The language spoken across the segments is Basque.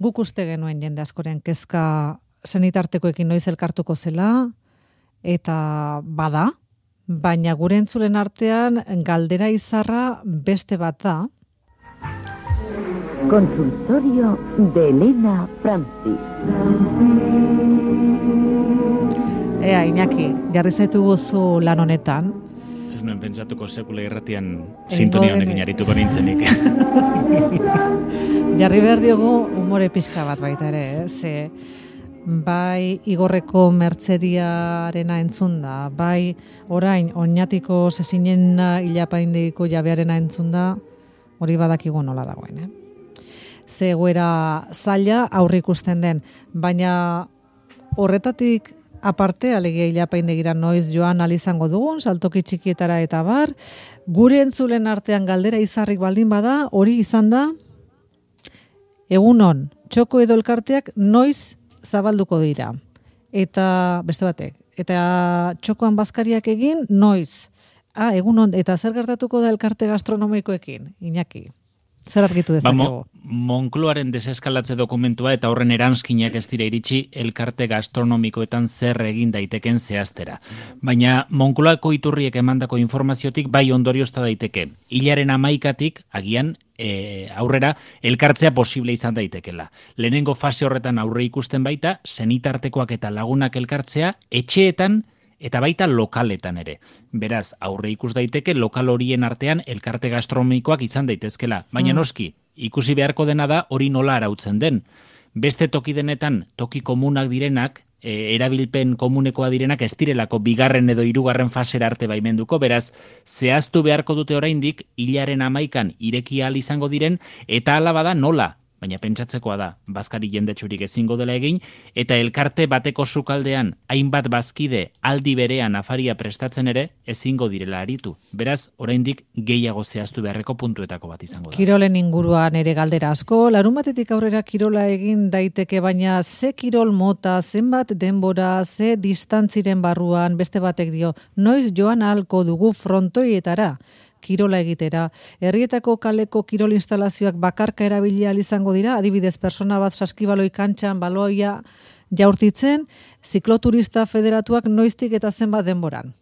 Guk uste genuen jende askoren kezka senitartekoekin noiz elkartuko zela, eta bada, baina gure entzulen artean galdera izarra beste bat da. Consultorio de Elena Francis. Iñaki, jarri zaitu guzu lan honetan. Ez nuen pentsatuko sekula irratian sintonia honekin arituko nintzenik. Jarri behar diogu umore pixka bat baita ere, ze bai Igorreko mertzeriarena entzunda, bai orain Oñatiko Sesinen hilapaindiko jabearena entzunda, hori badakigu nola dagoen, Ze egoera zaila aurre ikusten den, baina horretatik aparte, alegia hilapaindegira noiz joan alizango dugun, saltoki txikietara eta bar, gure entzulen artean galdera izarrik baldin bada, hori izan da, egunon, txoko edo elkarteak noiz zabalduko dira. Eta, beste batek, eta txokoan bazkariak egin, noiz. Egunon, eta zer gertatuko da elkarte gastronomikoekin, Iñaki? Zer argitu dezakegu? Monkloaren deseskalatze dokumentua eta horren eranskinak ez dira iritsi elkarte gastronomikoetan zer egin daiteken zehaztera. Baina Monkloako iturriek emandako informaziotik bai ondoriozta daiteke. Hilaren 11tik agian aurrera elkartzea posible izan daitekela. Lehenengo fase horretan aurre ikusten baita, senitartekoak eta lagunak elkartzea etxeetan eta baita lokaletan ere. Beraz, aurre ikus daiteke lokal horien artean elkarte gastronomikoak izan daitezkela. Baina noski, ikusi beharko dena da hori nola arautzen den. Beste toki denetan, toki komunak direnak, erabilpen komunekoa direnak ez direlako bigarren edo hirugarren fasera arte baimenduko, beraz, zehaztu beharko dute oraindik hilaren 11an ireki ahal izango diren, eta hala bada nola. Baina pentsatzekoa da, bazkari jendetsurik ezingo dela egin, eta elkarte bateko sukaldean hainbat bazkide aldi berean afaria prestatzen ere ezingo direla aritu. Beraz, oraindik gehiago zehaztu beharreko puntuetako bat izango da. Kirolen inguruan ere galdera asko, larunbatetik aurrera kirola egin daiteke, baina ze kirol mota, zenbat denbora, ze distantziren barruan, beste batek dio, noiz joan ahalko dugu frontoietara kirola egitera. Herrietako kaleko kirol instalazioak bakarka erabili ahal izango dira, adibidez persona bat saskibaloi kantxan baloia jaurtitzen, zikloturista federatuak noiztik eta zenbat denboran.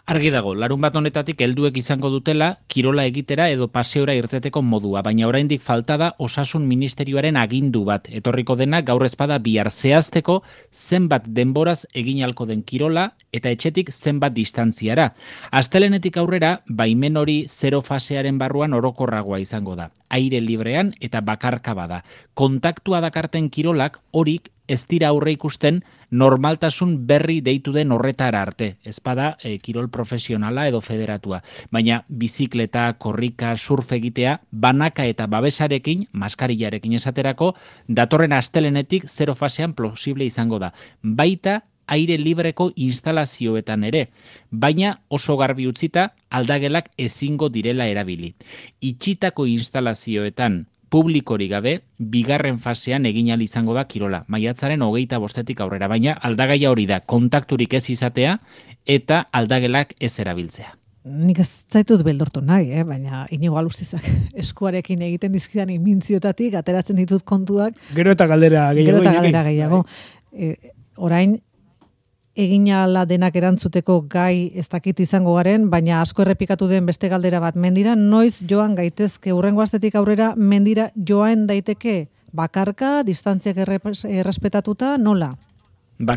Argi dago, larunbat honetatik helduek izango dutela kirola egitera edo paseora irteteko modua, baina oraindik falta da Osasun Ministerioaren agindu bat. Etorriko dena gaur ezpada bihar zehazteko zenbat denboraz egin ahalko den kirola eta etxetik zenbat distantziara. Astelenetik aurrera, baimen hori 0 fasearen barruan orokorragoa izango da. Aire librean eta bakarka bada. Kontaktua dakarten kirolak horik ez dira aurre ikusten normaltasun berri deitu den horretara arte. Ez bada kirol profesionala edo federatua. Baina bizikleta, korrika, surf egitea, banaka eta babesarekin, maskarillarekin esaterako, datorren astelenetik 0 fasean posible izango da. Baita aire libreko instalazioetan ere, baina oso garbi utzita aldagelak ezingo direla erabili. Itxitako instalazioetan publikori gabe, bigarren fasean egin ahal izango da kirola. Maiatzaren 25etik aurrera, baina aldagaia hori da, kontakturik ez izatea eta aldagelak ez erabiltzea. Nik ez zaitut beldortu nahi, baina Inigo Alustizak eskuarekin egiten dizkidan imintziotatik, ateratzen ditut kontuak. Gero eta galdera gehiago. Orain, egin ahala denak erantzuteko gai ez dakit izango garen, baina asko errepikatu den beste galdera bat, mendira noiz joan gaitezke, hurrengo astetik aurrera mendira joan daiteke bakarka, distantziak errespetatuta, nola?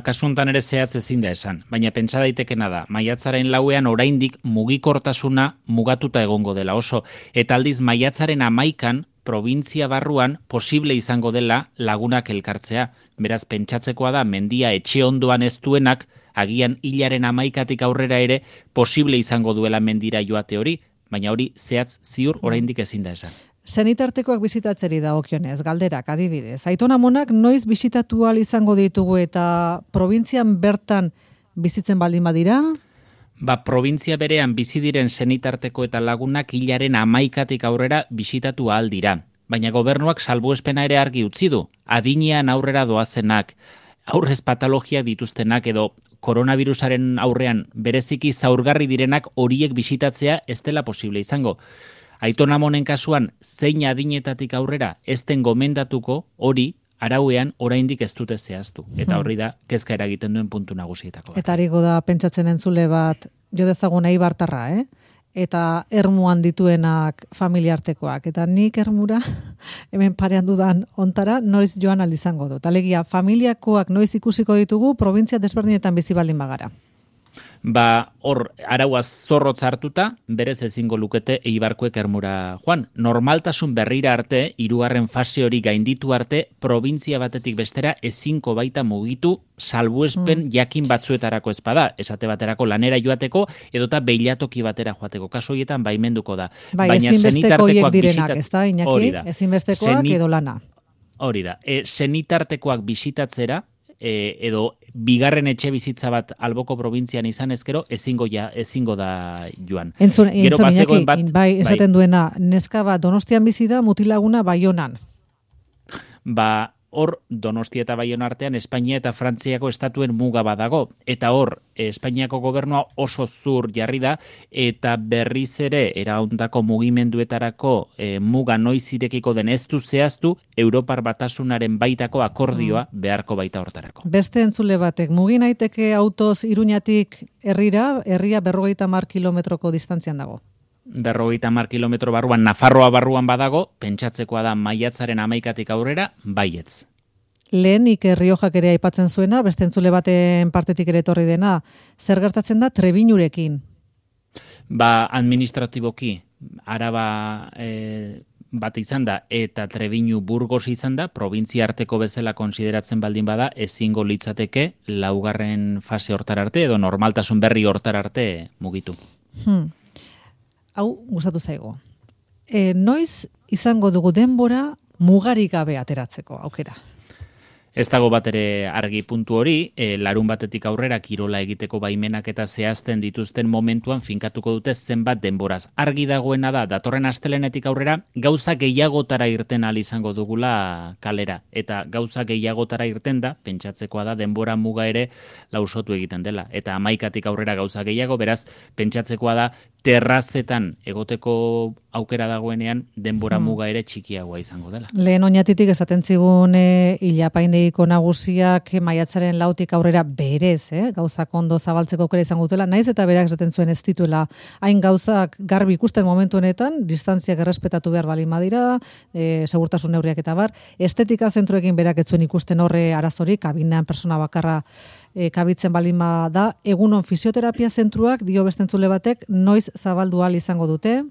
Kasuntan ere zehatz ezin da esan, baina pentsa daitekena da, maiatzaren 4ean oraindik mugikortasuna mugatuta egongo dela oso, eta aldiz maiatzaren 11an provintzia barruan posible izango dela lagunak elkartzea. Beraz, pentsatzekoa da, mendia etxe ondoan ez duenak, agian hilaren 11tik aurrera ere posible izango duela mendira joate hori, baina hori zehatz ziur oraindik ezin da esan. Senitartekoak bisitatzeri dagokionez, galderak adibidez. Aiton amonak noiz bisitatu ahal izango ditugu eta probintzian bertan bizitzen baldin badira? Provintzia berean bizi diren senitarteko eta lagunak hilaren 11tik aurrera bisitatu ahal dira. Baina gobernuak salbuespena ere argi utzi du. Adinean aurrera doazenak, aurrez patologiak dituztenak edo koronavirusaren aurrean bereziki zaurgarri direnak horiek bisitatzea ez dela posible izango. Aiton Amonen kasuan, zein adinetatik aurrera ez den gomendatuko, hori, arauean oraindik ez dute zehaztu. Eta horri da, kezka eragiten duen puntu nagusietako. Eta hariko da pentsatzen entzule bat, jo dezagun Eibartarra, eta ermuan dituenak familiartekoak. Eta nik ermura, hemen parean dudan ontara, noiz joan aldizango dut. Alegia, familiakoak noiz ikusiko ditugu, provintzia desberdinetan bizi baldin bagara. Hor, arauaz zorrotz hartuta, berez ezingo lukete Eibarkoek ermura joan. Normaltasun berrira arte, 3. fase hori gainditu arte, provintzia batetik bestera ezinko baita mugitu salbuespen jakin batzuetarako ezpada. Esate baterako lanera joateko, edota beilatoki batera joateko. Kaso horietan baimenduko da. Baina ezinbesteko hiek direnak, ez da, Iñaki? Ezinbestekoak edo lana. Hori da. Senitartekoak bisitatzera, edo bigarren etxe bizitza bat alboko probintzian izan ezkero, ezingo da joan. Entzun Iñaki, bai, esaten duena, neska bat Donostian bizi da, mutilaguna Baionan. Hor, Donostia eta Baiona artean, Espainia eta Frantziako estatuen muga badago. Eta hor, Espainiako gobernua oso zur jarri da, eta berriz ere, eraundako mugimenduetarako muga noiz irekiko den ez du zehaztu, Europar Batasunaren baitako akordioa beharko baita hortarako. Beste entzule batek, mugin aiteke autoz Iruñatik herria 50 kilometroko distantzian dago. 50 kilometro barruan, Nafarroa barruan badago, pentsatzekoa da maiatzaren 11tik aurrera, baietz. Lehenik Riojak ere aipatzen zuena, beste entzule baten partetik ere etorri dena, zer gertatzen da Trebiñurekin? Administratiboki, Araba bat izan da, eta Trebiñu Burgos izan da, provintzia arteko bezala konsideratzen baldin bada, ezingo litzateke 4. fase hortar arte, edo normaltasun berri hortar arte mugitu. Hau, gustatu zaigo. Noiz izango dugu denbora mugarik gabe ateratzeko aukera? Ez dago bat ere argi puntu hori, larun batetik aurrera kirola egiteko baimenak eta zehazten dituzten momentuan finkatuko dute zenbat denboraz. Argi dagoena da, datorren astelenetik aurrera, gauza gehiagotara irten ahal izango dugula kalera. Eta gauza gehiagotara irten da, pentsatzekoa da, denbora muga ere lausotu egiten dela. Eta 11tik aurrera gauza gehiago, beraz, pentsatzekoa da, terrazetan egoteko aukera dagoenean denbora muga ere txikiagoa izango dela. Lehen oinatitik esaten zigun ilapaindeiko nagusiak maiatzaren 4tik aurrera berez, gauzak ondo zabaltzeko aukera izango dutela, naiz eta berak esaten zuen ez dituela hain gauzak garbi ikusten momentu honetan, distantziak errespetatu behar balin badira, segurtasun neurriak eta bar, estetika zentroekin berak ez zuen ikusten horre arazorik, kabinean persona bakarra kabitzen balin da, egunon fisioterapia zentruak, dio beste entzule batek, noiz zabaldu ahal izango dute?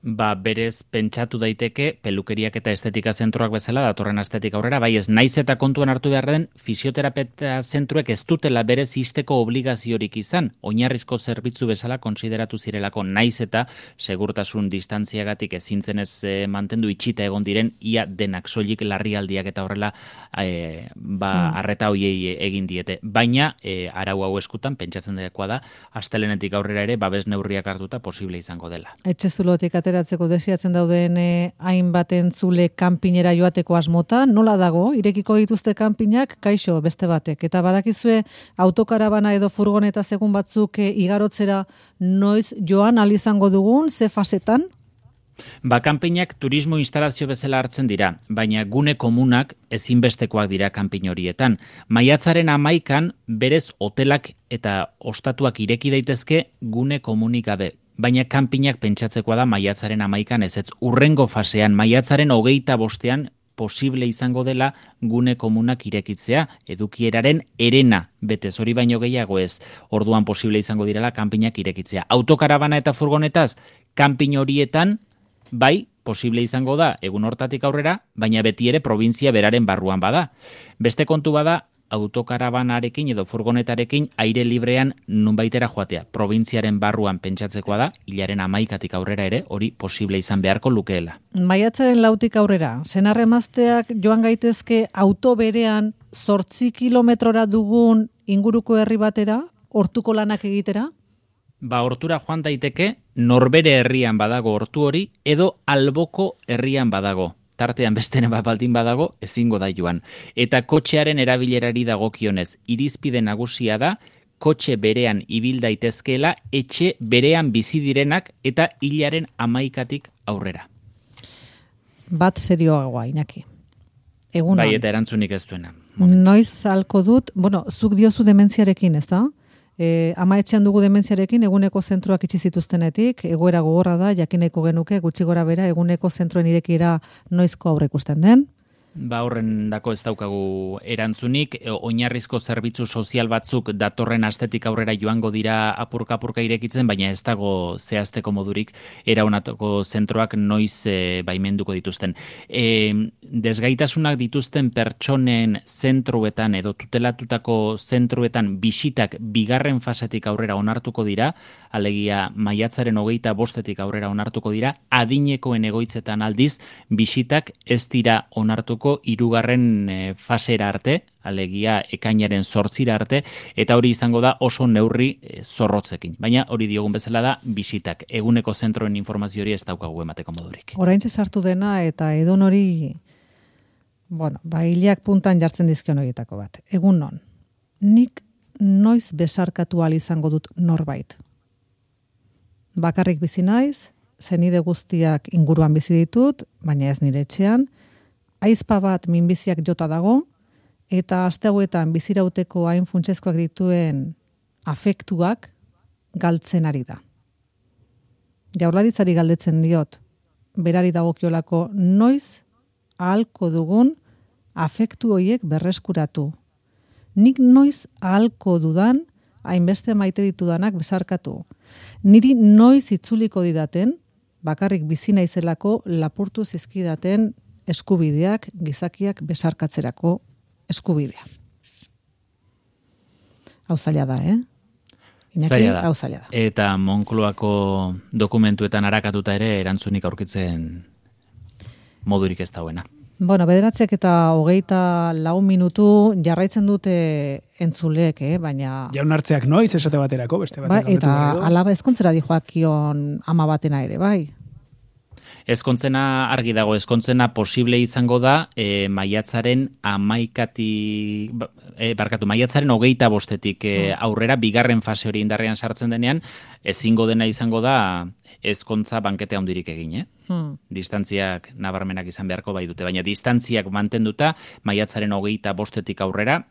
Berez pentsatu daiteke pelukeriak eta estetika zentroak bezala datorren astetik aurrera, bai ez naiz eta kontuan hartu behar den fisioterapia zentruek ez dutela berez izteko obligaziorik izan, oinarrizko zerbitzu bezala konsideratu zirelako naiz eta segurtasun distantziagatik ezintzen ez mantendu itxita egon diren ia denak soilik larrialdiak eta horrela arreta hoiei egin diete. Baina arau hau eskutan pentsatzen dakoa da astelenetik aurrera ere babes neurriak hartuta posible izango dela. Etxezulotik ateratzeko desiatzen dauden hainbat entzule kanpinera joateko asmota, nola dago, irekiko dituzte kanpinak, kaixo beste batek, eta badakizue autokarabana edo furgoneta segun batzuk igarotzera noiz joan ahal izango dugun, ze fasetan? Kanpinak turismo instalazio bezala hartzen dira, baina gune komunak ezinbestekoak dira kanpin horietan. Maiatzaren 11an berez hotelak eta ostatuak ireki daitezke gune komunik gabe. Baina kanpinak pentsatzekoa da maiatzaren 11an ez urrengo fasean, maiatzaren 25ean posible izango dela gune komunak irekitzea, edukieraren herena betez, hori baino gehiago ez, orduan posible izango direla kanpinak irekitzea. Autokarabana eta furgonetaz, kanpin horietan, bai, posible izango da egun hortatik aurrera, baina beti ere provintzia beraren barruan bada. Beste kontu bada, autokarabanarekin edo furgonetarekin aire librean nunbaitera joatea. Probintziaren barruan pentsatzekoa da, hilaren 11tik aurrera ere, hori posible izan beharko lukeela. Maiatzaren 4tik aurrera, senarremazteak joan gaitezke auto berean 8 kilometrora dugun inguruko herri batera, hortuko lanak egitera? Hortura joan daiteke, norbere herrian badago hortu hori, edo alboko herrian badago. Tartean bestene baldin badago, ezingo da joan. Eta kotxearen erabilerari dagokionez, irizpide nagusia da, kotxe berean ibil daitezkeela, etxe berean bizi direnak eta hilaren 11tik aurrera. Bat serioagoa, Iñaki. Egunon. Bai, eta erantzunik ez duena. Noiz halko dut, zuk diozu dementziarekin, ez da? Ama etxean dugu dementziarekin eguneko zentroak itxi zituztenetik, egoera gogorra da, jakineko genuke, gutxi gora bera, eguneko zentroen irekiera noizko aurre ikusten den. Horren dako ez daukagu erantzunik, oinarrizko zerbitzu sozial batzuk datorren astetik aurrera joango dira apurka irekitzen, baina ez dago zehazteko modurik eraunatoko zentroak noiz baimenduko dituzten. Desgaitasunak dituzten pertsonen zentroetan edo tutelatutako zentroetan bisitak bigarren fasetik aurrera onartuko dira, alegia maiatzaren 25etik aurrera onartuko dira, adinekoen egoitzetan aldiz bisitak ez dira onartuko hirugarren fasera arte, alegia ekainaren 8 arte, eta hori izango da oso neurri zorrotzekin. Baina hori diogun bezala da bisitak. Eguneko zentroen informazio hori ez daukagu emateko modurik. Oraintxe sartu dena eta edon hori, hilak puntan jartzen dizkion horietako bat. Egun non, nik noiz besarkatu ahal izango dut norbait. Bakarrik bizi naiz, senide guztiak inguruan bizi ditut, baina ez nire etxean, aizpa bat minbiziak jota dago, eta aste hauetan bizirauteko hain funtsezkoak dituen afektuak galtzen ari da. Jaurlaritzari galdetzen diot, berari dagokiolako noiz ahalko dugun afektu horiek berreskuratu. Nik noiz ahalko dudan, hainbeste maite ditudanak besarkatu. Niri noiz itzuliko didaten, bakarrik bizi naizelako lapurtu zizkidaten eskubideak, gizakiak besarkatzerako eskubidea. Hau zaila da, Iñaki, hau zaila da. Eta Moncloako dokumentuetan arakatuta ere erantzunik aurkitzen modurik ez dauena. 9:24 minutu jarraitzen dute entzulek, baina... Jaunartzeak noiz esate baterako, beste baterako. Eta alaba ezkontzera dijoakion ama batena ere, bai? Ezkontzena argi dago, ezkontzena posible izango da maiatzaren 25etik aurrera, bigarren fase hori indarrean sartzen denean, ezingo dena izango da ezkontza bankete handirik egin, Distantziak nabarmenak izan beharko bai dute, baina distantziak mantenduta maiatzaren 25etik aurrera,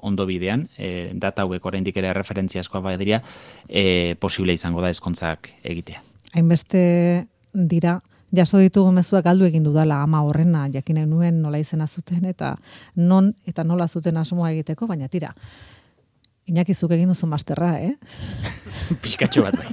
ondo bidean, data hauek oraindik ere referentziazkoa bai dira, posible izango da ezkontzak egitea. Hainbeste dira, jaso ditugu mezuak galdu egin dudala ama horrena, jakinen nuen nola izena zuten eta non eta nola zuten asmoa egiteko, baina tira, Iñaki zuk egin duzu masterra, Pixkatxo bat bai.